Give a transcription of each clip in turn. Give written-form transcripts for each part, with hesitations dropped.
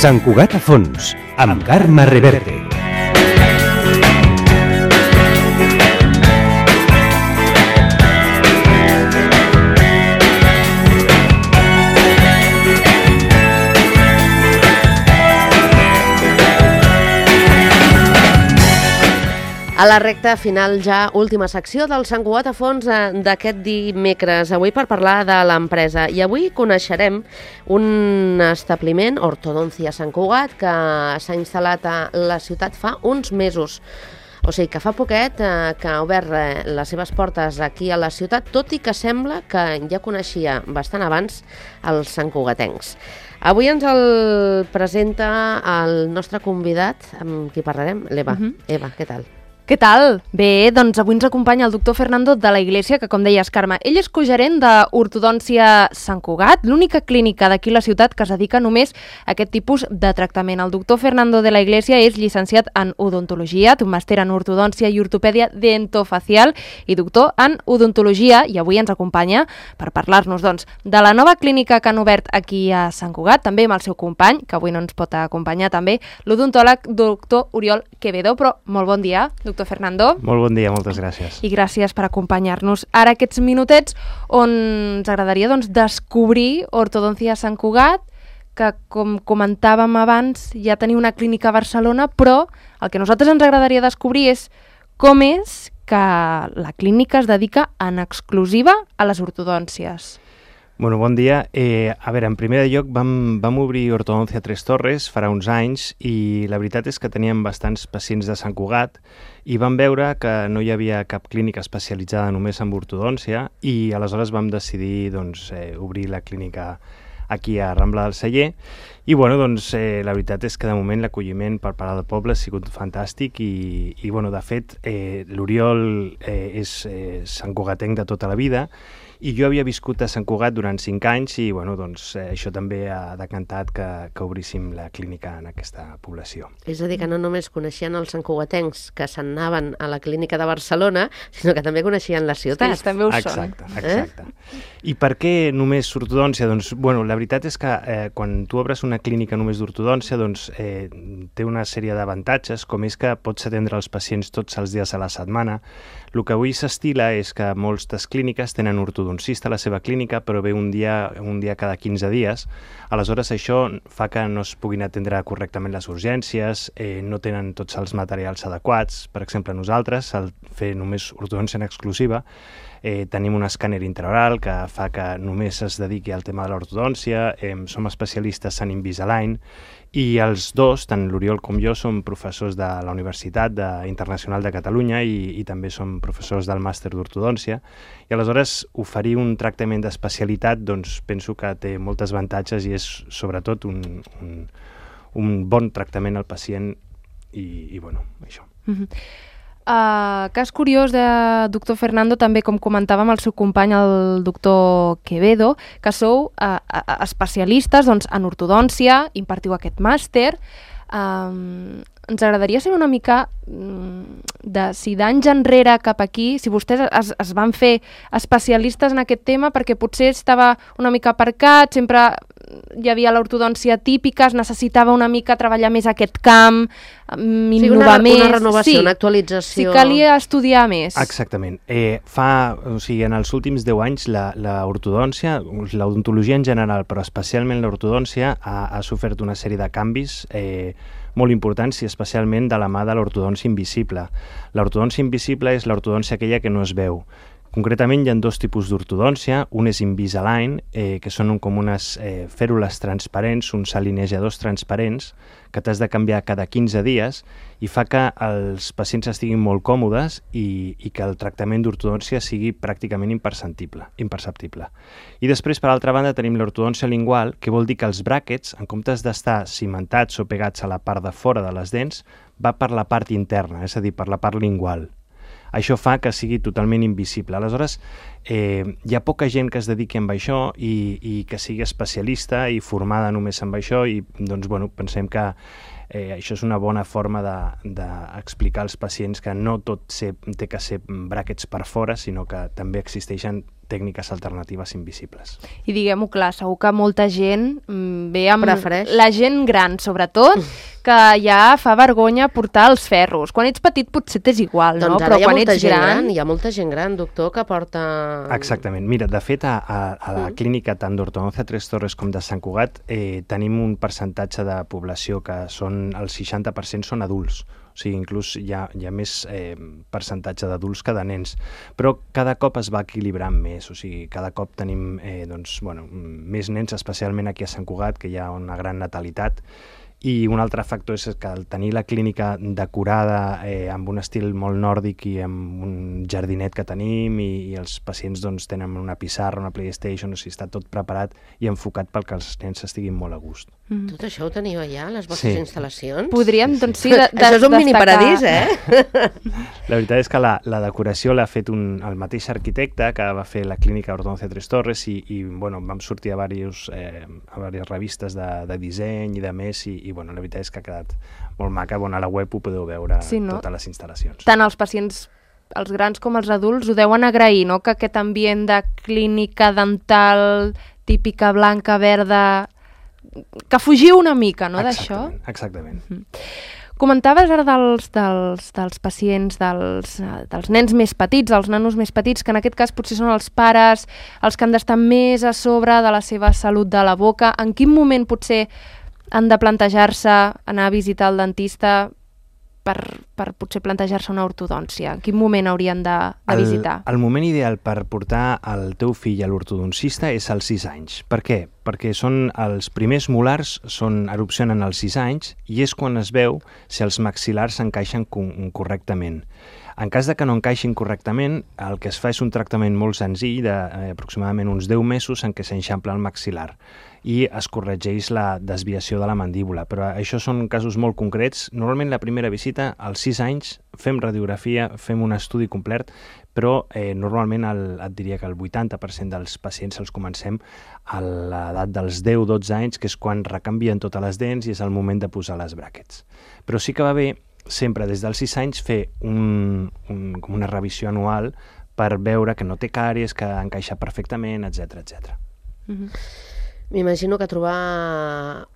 Sant Cugat a fons, amb Carme Reverte. A la recta final ja, última secció del Sant Cugat a fons d'aquest dimecres, avui per parlar de l'empresa. I avui coneixerem un establiment, Ortodoncia Sant Cugat, que s'ha instal·lat a la ciutat fa uns mesos. O sigui que fa poquet que ha obert les seves portes aquí a la ciutat, tot i que sembla que ja coneixia bastant abans els santcugatencs. Avui ens el presenta el nostre convidat, amb qui parlarem, l'Eva. Eva, què tal? Què tal? Bé, doncs avui ens acompanya el doctor Fernando de la Iglesia, que com deies, Carme, ell és cogerent d'Ortodòncia Sant Cugat, l'única clínica d'aquí la ciutat que es dedica només a aquest tipus de tractament. El doctor Fernando de la Iglesia és llicenciat en odontologia, té un màster en ortodòncia i ortopèdia dentofacial i doctor en odontologia, i avui ens acompanya per parlar-nos, doncs, de la nova clínica que han obert aquí a Sant Cugat, també amb el seu company, que avui no ens pot acompanyar també, l'odontòleg doctor Oriol Quevedo. Però molt bon dia, doctor Fernando. Molt bon dia, moltes gràcies. I gràcies per acompanyar-nos ara aquests minutets on ens agradaria descobrir Ortodòncia Sant Cugat, que com comentàvem abans ja tenia una clínica a Barcelona, però el que a nosaltres ens agradaria descobrir és com és que la clínica es dedica en exclusiva a les ortodòncies. Bueno, bon dia. A veure, en primer lloc vam obrir Ortodòncia Tres Torres farà uns anys i la veritat és que teníem bastants pacients de Sant Cugat i vam veure que no hi havia cap clínica especialitzada només en ortodòncia i aleshores vam decidir obrir la clínica aquí a Rambla del Celler i la veritat és que de moment l'acolliment per part del poble ha sigut fantàstic i de fet l'Oriol és santcugatenc de tota la vida i jo havia viscut a Sant Cugat durant 5 anys i això també ha decantat que obríssim la clínica en aquesta població. És a dir, que no només coneixien els santcugatencs que se'n anaven a la clínica de Barcelona, sinó que també coneixien la ciutat. Sí, també ho són. Exacte. I per què només ortodòncia? Doncs, la veritat és que quan tu obres una clínica només d'ortodòncia, té una sèrie d'avantatges, com és que pots atendre els pacients tots els dies a la setmana. El que avui s'estila és que moltes clíniques tenen ortodoncista a la seva clínica, però ve un dia cada 15 dies. Aleshores, això fa que no es puguin atendre correctament les urgències, no tenen tots els materials adequats. Per exemple, nosaltres, al fer només ortodòncia en exclusiva, tenim un escàner intraoral que fa que només es dediqui al tema de l'ortodòncia, som especialistes en Invisalign i els dos, tant l'Oriol com jo, som professors de la Universitat Internacional de Catalunya i també som professors del màster d'ortodòncia i aleshores oferir un tractament d'especialitat penso que té molts avantatges i és sobretot un bon tractament al pacient i això. Cas curiós de doctor Fernando, també com comentàvem el seu company, el doctor Quevedo, que sou especialistes en ortodòncia, impartiu aquest màster. Ens agradaria saber una mica si d'anys enrere cap aquí, si vostès es van fer especialistes en aquest tema, perquè potser estava una mica aparcat, sempre hi havia l'ortodòncia típica, es necessitava una mica treballar més aquest camp, innovar més. Una renovació, una actualització. Sí, calia estudiar més. Exactament. En els últims 10 anys l'ortodòncia, l'odontologia en general, però especialment l'ortodòncia, ha sofert una sèrie de canvis molt importants i especialment de la mà de l'ortodòncia invisible. L'ortodòncia invisible és l'ortodòncia aquella que no es veu. Concretament hi ha 2 tipus d'ortodòncia, un és Invisalign, que són com unes fèrules transparents, uns alineadors transparents, que t'has de canviar cada 15 dies i fa que els pacients estiguin molt còmodes i que el tractament d'ortodòncia sigui pràcticament imperceptible. I després, per altra banda, tenim l'ortodòncia lingual, que vol dir que els bràquets, en comptes d'estar cimentats o pegats a la part de fora de les dents, va per la part interna, és a dir, per la part lingual. Això fa que sigui totalment invisible. Aleshores, hi ha poca gent que es dediqui a això i que sigui especialista i formada només en això i pensem que això és una bona forma d'explicar als pacients que no tot té que ser bràquets per fora, sinó que també existeixen tècniques alternatives invisibles. I diguem-ho clar, segur que molta gent ve amb... Prefereix. La gent gran, sobretot, que ja fa vergonya portar els ferros. Quan ets petit potser t'és igual, no? Doncs Però ara quan ets gran... hi ha molta gent gran, doctor, que porta... Exactament. Mira, de fet, a la clínica tant d'Ortodoncia Tres Torres com de Sant Cugat tenim un percentatge de població que són el 60% són adults. O sigui, inclús hi ha més percentatge d'adults que de nens. Però cada cop es va equilibrant més. O sigui, cada cop tenim més nens, especialment aquí a Sant Cugat, que hi ha una gran natalitat. I un altre factor és que al tenir la clínica decorada amb un estil molt nòrdic i amb un jardinet que tenim i els pacients tenen una pissarra, una PlayStation, o sigui, està tot preparat i enfocat pel que els nens estiguin molt a gust. Tot això ho teniu allà, les vostres instal·lacions? Podríem, doncs sí, Això és un miniparadís, La veritat és que la decoració l'ha fet el mateix arquitecte que va fer la clínica Ortodoncia Tres Torres i vam sortir a diverses revistes de disseny i de més i la veritat és que ha quedat molt maca. A la web ho podeu veure, totes les instal·lacions. Tant els pacients, els grans com els adults, ho deuen agrair, no?, que aquest ambient de clínica dental típica blanca, verda, que fugiu una mica, no?, d'això. Exactament. Comentaves ara dels pacients, dels nens més petits, els nanos més petits, que en aquest cas potser són els pares, els que han d'estar més a sobre de la seva salut de la boca. En quin moment potser han de plantejar-se anar a visitar el dentista per potser plantejar-se una ortodòncia? En quin moment haurien de visitar? El moment ideal per portar el teu fill a l'ortodoncista és als 6 anys. Per què? Perquè els primers molars erupcionen als 6 anys i és quan es veu si els maxil·lars s'encaixen correctament. En cas de que no encaixin correctament, el que es fa és un tractament molt senzill d'aproximadament uns 10 mesos en què s'enxampla el maxil·lar i es corregeix la desviació de la mandíbula. Però això són casos molt concrets. Normalment la primera visita, als 6 anys, fem radiografia, fem un estudi complet, però normalment et diria que el 80% dels pacients els comencem a l'edat dels 10-12 anys, que és quan recanvien totes les dents i és el moment de posar les bràquets. Però sí que va bé sempre des dels 6 anys fer una revisió anual per veure que no té càries, que encaixa perfectament, etc etc. M'imagino que trobar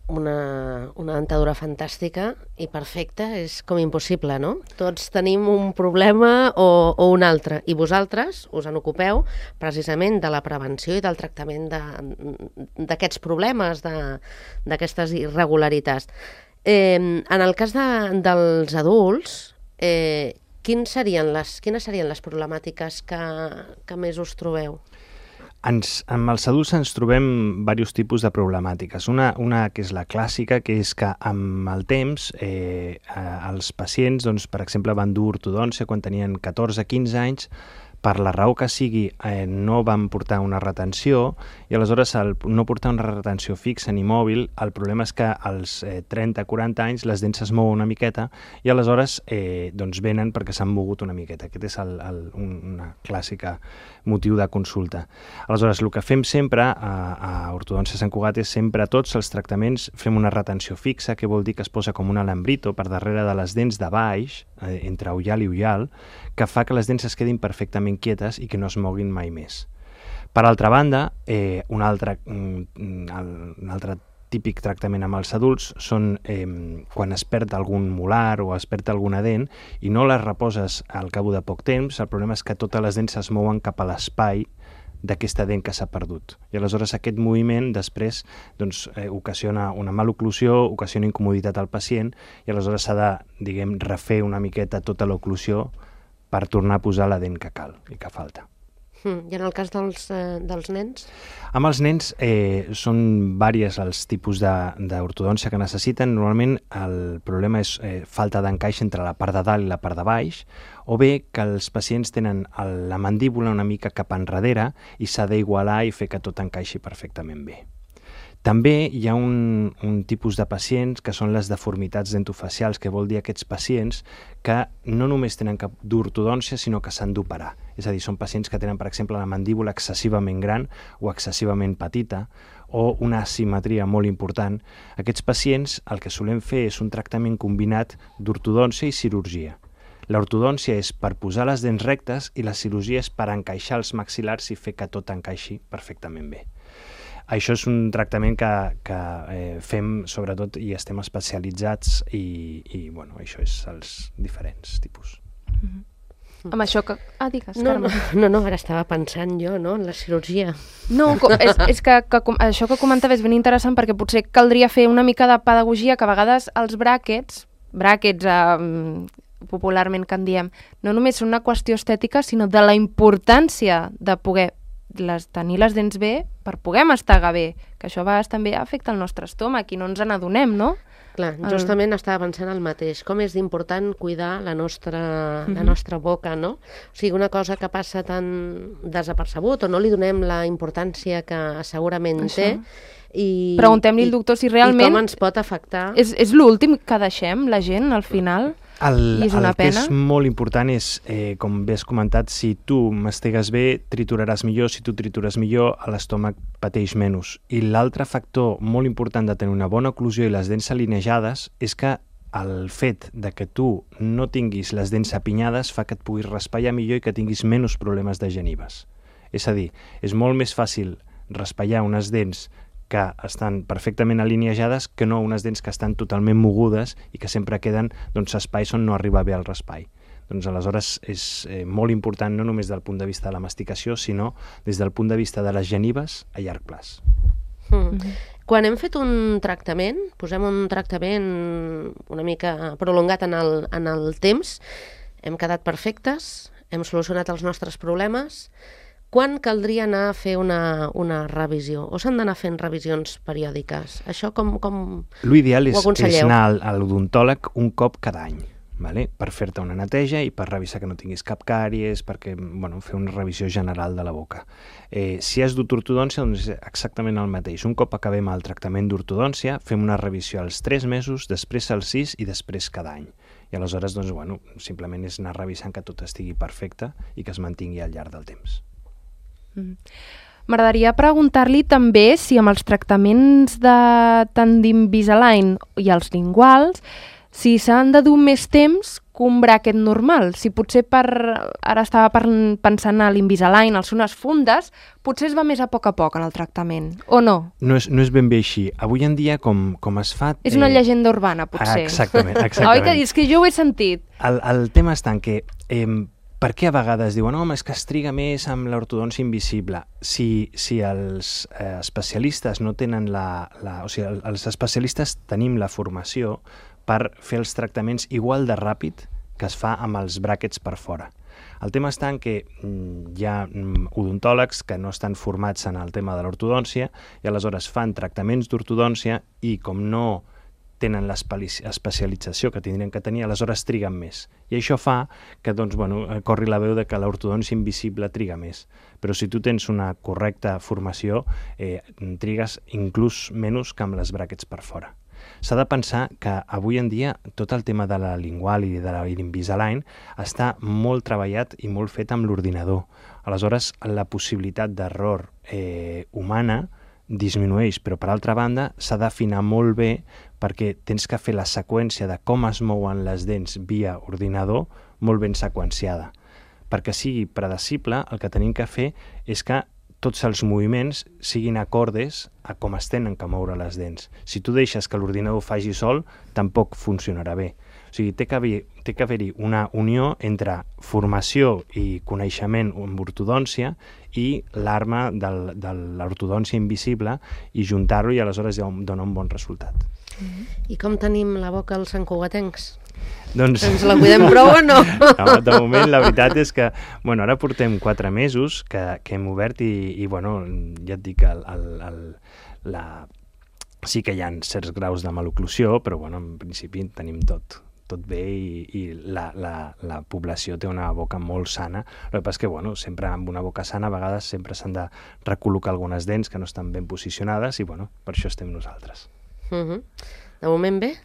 una dentadura fantàstica i perfecta és com impossible, no? Tots tenim un problema o un altre, i vosaltres us en ocupeu precisament de la prevenció i del tractament d'aquests problemes, d'aquestes irregularitats. En el cas dels adults, quines serien les problemàtiques que més us trobeu? Amb els adults ens trobem diversos tipus de problemàtiques. Una que és la clàssica, que és que amb el temps els pacients, per exemple, van dur ortodòncia quan tenien 14-15 anys, per la raó que sigui, no van portar una retenció i aleshores al no portar una retenció fixa ni mòbil, el problema és que als 30-40 anys les dents es mouen una miqueta i aleshores venen perquè s'han mogut una miqueta. Aquest és una clàssica motiu de consulta. Aleshores, el que fem sempre a Ortodòncia Sant Cugat és sempre a tots els tractaments fem una retenció fixa, que vol dir que es posa com un alambrito per darrere de les dents de baix, entre ullal i ullal, que fa que les dents es quedin perfectament quietes i que no es moguin mai més. Per altra banda, un altre típic tractament amb els adults són quan es perd algun molar o es perd alguna dent i no les reposes al cap de poc temps, el problema és que totes les dents es mouen cap a l'espai d'aquesta dent que s'ha perdut. I aleshores aquest moviment després ocasiona una maloclusió, ocasiona incomoditat al pacient i aleshores s'ha de, refer una miqueta tota l'oclusió per tornar a posar la dent que cal i que falta. I en el cas dels nens? Amb els nens són diversos els tipus d'ortodòncia que necessiten. Normalment el problema és falta d'encaix entre la part de dalt i la part de baix, o bé que els pacients tenen la mandíbula una mica cap enrere i s'ha d'igualar i fer que tot encaixi perfectament bé. També hi ha un tipus de pacients que són les deformitats dentofacials, que vol dir aquests pacients que no només tenen cap d'ortodòncia, sinó que s'han d'operar. És a dir, són pacients que tenen, per exemple, la mandíbula excessivament gran o excessivament petita o una asimetria molt important. Aquests pacients el que solem fer és un tractament combinat d'ortodòncia i cirurgia. L'ortodòncia és per posar les dents rectes i la cirurgia és per encaixar els maxil·lars i fer que tot encaixi perfectament bé. Això és un tractament que fem sobretot i estem especialitzats i bueno, això és els diferents tipus. Amb això que... digues, No, Carme. ara estava pensant jo, no?, en la cirurgia. No, és que això que comentava és ben interessant perquè potser caldria fer una mica de pedagogia, que a vegades els bràquets popularment que en diem, no només són una qüestió estètica, sinó de la importància de poder tenir les dents bé per poder mastegar bé, que això a vegades també afecta el nostre estómac i no ens n'adonem, no? Clar, justament estava pensant el mateix, com és d'important cuidar la nostra boca, no? O sigui, una cosa que passa tan desapercebut o no li donem la importància que segurament té. Preguntem-li al doctor si realment... I com ens pot afectar. És l'últim que deixem, la gent, al final? El és una pena. Que és molt important és, com bé has comentat, si tu mastegues bé, trituraràs millor, si tu tritures millor, l'estómac pateix menys. I l'altre factor molt important de tenir una bona oclusió i les dents alinejades és que el fet de que tu no tinguis les dents apinyades fa que et puguis raspallar millor i que tinguis menys problemes de genives. És a dir, és molt més fàcil raspallar unes dents que estan perfectament alineejades que no unes dents que estan totalment mogudes i que sempre queden espais on no arriba bé el raspall. Doncs aleshores és molt important no només del punt de vista de la masticació, sinó des del punt de vista de les genives a llarg plaç. Quan hem fet un tractament, posem un tractament una mica prolongat en el temps, hem quedat perfectes, hem solucionat els nostres problemes. Quan caldria anar a fer una revisió? O s'han d'anar fent revisions periòdiques? Això com L'ideal ho aconselleu? És anar a l'odontòleg un cop cada any, per fer-te una neteja i per revisar que no tinguis cap càries, perquè fer una revisió general de la boca. Si has dut ortodòncia, doncs és exactament el mateix. Un cop acabem el tractament d'ortodòncia, fem una revisió als 3 mesos, després als 6 i després cada any. I aleshores, simplement és anar revisant que tot estigui perfecte i que es mantingui al llarg del temps. M'agradaria preguntar-li també si amb els tractaments de tant d'Invisalign i els linguals, si s'han de dur més temps que un bràquet normal. Si potser ara estava pensant a l'Invisalign, als unes fundes, potser es va més a poc en el tractament, o no? No és ben bé així. Avui en dia, com es fa... És una llegenda urbana, potser. Exactament. Oi que és que jo ho he sentit. El tema està en que... Per què a vegades diuen home, és que es triga més amb l'ortodòncia invisible? Si els especialistes no tenen o sigui, els especialistes tenim la formació per fer els tractaments igual de ràpid que es fa amb els bràquets per fora. El tema està en que hi ha odontòlegs que no estan formats en el tema de l'ortodòncia i aleshores fan tractaments d'ortodòncia i com no tenen l'especialització que tindrien que tenir, aleshores triguen més. I això fa que corri la veu de que l'ortodòncia invisible triga més. Però si tu tens una correcta formació, trigues inclús menys que amb les bràquets per fora. S'ha de pensar que avui en dia tot el tema de la lingual i de l'Invisalign està molt treballat i molt fet amb l'ordinador. Aleshores, la possibilitat d'error humana disminueix, però per altra banda s'ha d'afinar molt bé perquè tens que fer la seqüència de com es mouen les dents via ordinador molt ben seqüenciada. Perquè sigui predecible, el que tenim que fer és que tots els moviments siguin acordes a com es tenen que moure les dents. Si tu deixes que l'ordinador faci sol, tampoc funcionarà bé. O sigui, té que haver-hi una unió entre formació i coneixement amb ortodòncia i l'arma de l'ortodòncia invisible i juntar-ho i aleshores dona un bon resultat. I com tenim la boca als santcugatencs? Doncs... Ens la cuidem prou o no? No, de moment la veritat és que ara portem 4 mesos que hem obert i ja et dic sí que hi ha certs graus de maloclusió, però en principi tenim tot bé i la població té una boca molt sana. El que passa és que sempre amb una boca sana a vegades sempre s'han de recol·locar algunes dents que no estan ben posicionades i per això estem nosaltres. De moment bé?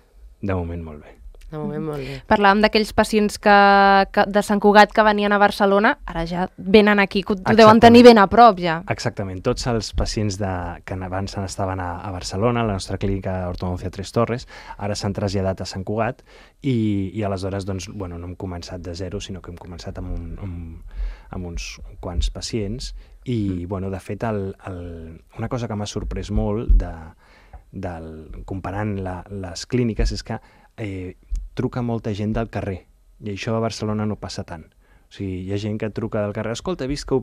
De moment molt bé. De moment molt bé. Parlàvem d'aquells pacients de Sant Cugat que venien a Barcelona, ara ja venen aquí, que ho deuen tenir ben a prop ja. Exactament, tots els pacients que abans estaven a Barcelona, a la nostra clínica Ortodoncia Tres Torres, ara s'han traslladat a Sant Cugat i aleshores doncs, bueno, no hem començat de zero, sinó que hem començat amb uns quants pacients i, bueno, de fet, una cosa que m'ha sorprès molt comparant les clíniques és que truca molta gent del carrer, i això a Barcelona no passa tant. O sigui, hi ha gent que truca del carrer, escolta, he vist que heu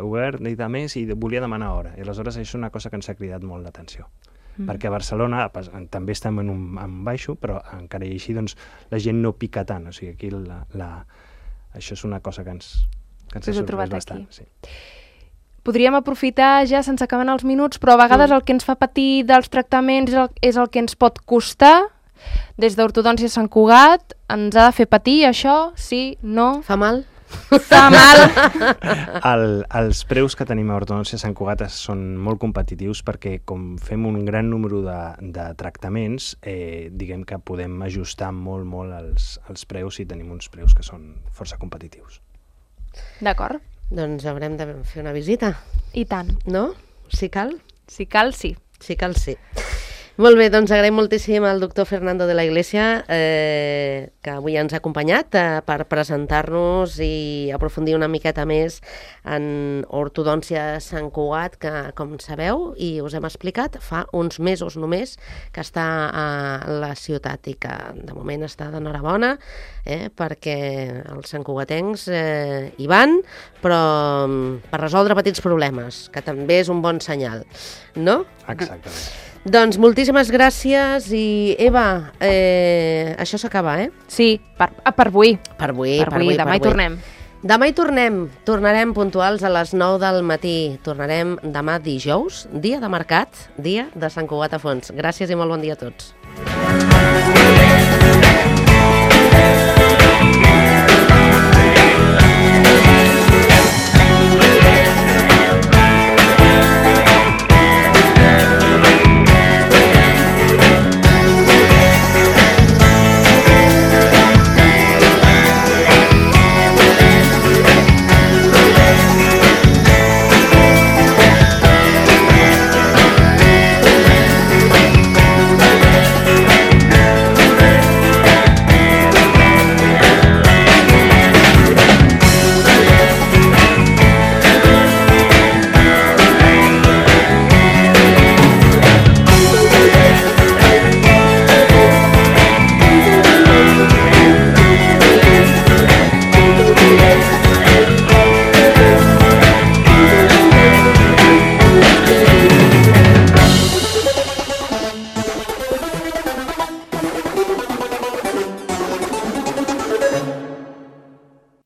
obert i de més i volia demanar hora. I aleshores això és una cosa que ens ha cridat molt l'atenció. Perquè a Barcelona també estem en un baixo, però encara i així doncs, la gent no pica tant. O sigui, aquí això és una cosa que ens ha sorprès bastant. Sí. Podríem aprofitar, ja se'ns acaben els minuts, però a vegades el que ens fa patir dels tractaments és el que ens pot costar. Des d'Ortodòncia Sant Cugat, ens ha de fer patir això? Sí? No? Fa mal? Fa mal! Els preus que tenim a Ortodòncia Sant Cugat són molt competitius perquè com fem un gran número de tractaments, diguem que podem ajustar molt els preus i tenim uns preus que són força competitius. D'acord. Doncs haurem de fer una visita. I tant. No? Si cal? Si cal, sí. Si cal, sí. Molt bé, doncs agraïm moltíssim al doctor Fernando de la Iglesia que avui ens ha acompanyat per presentar-nos i aprofundir una miqueta més en Ortodòncia Sant Cugat, que, com sabeu, i us hem explicat, fa uns mesos només que està a la ciutat i que de moment està d'enhorabona perquè els santcugatencs hi van, però per resoldre petits problemes, que també és un bon senyal, no? Exactament. Doncs moltíssimes gràcies i Eva, això s'acaba, Sí, per avui. Per avui. Demà hi tornem. Demà hi tornarem puntuals a les 9 del matí. Tornarem demà dijous, dia de mercat, dia de Sant Cugat a Fons. Gràcies i molt bon dia a tots.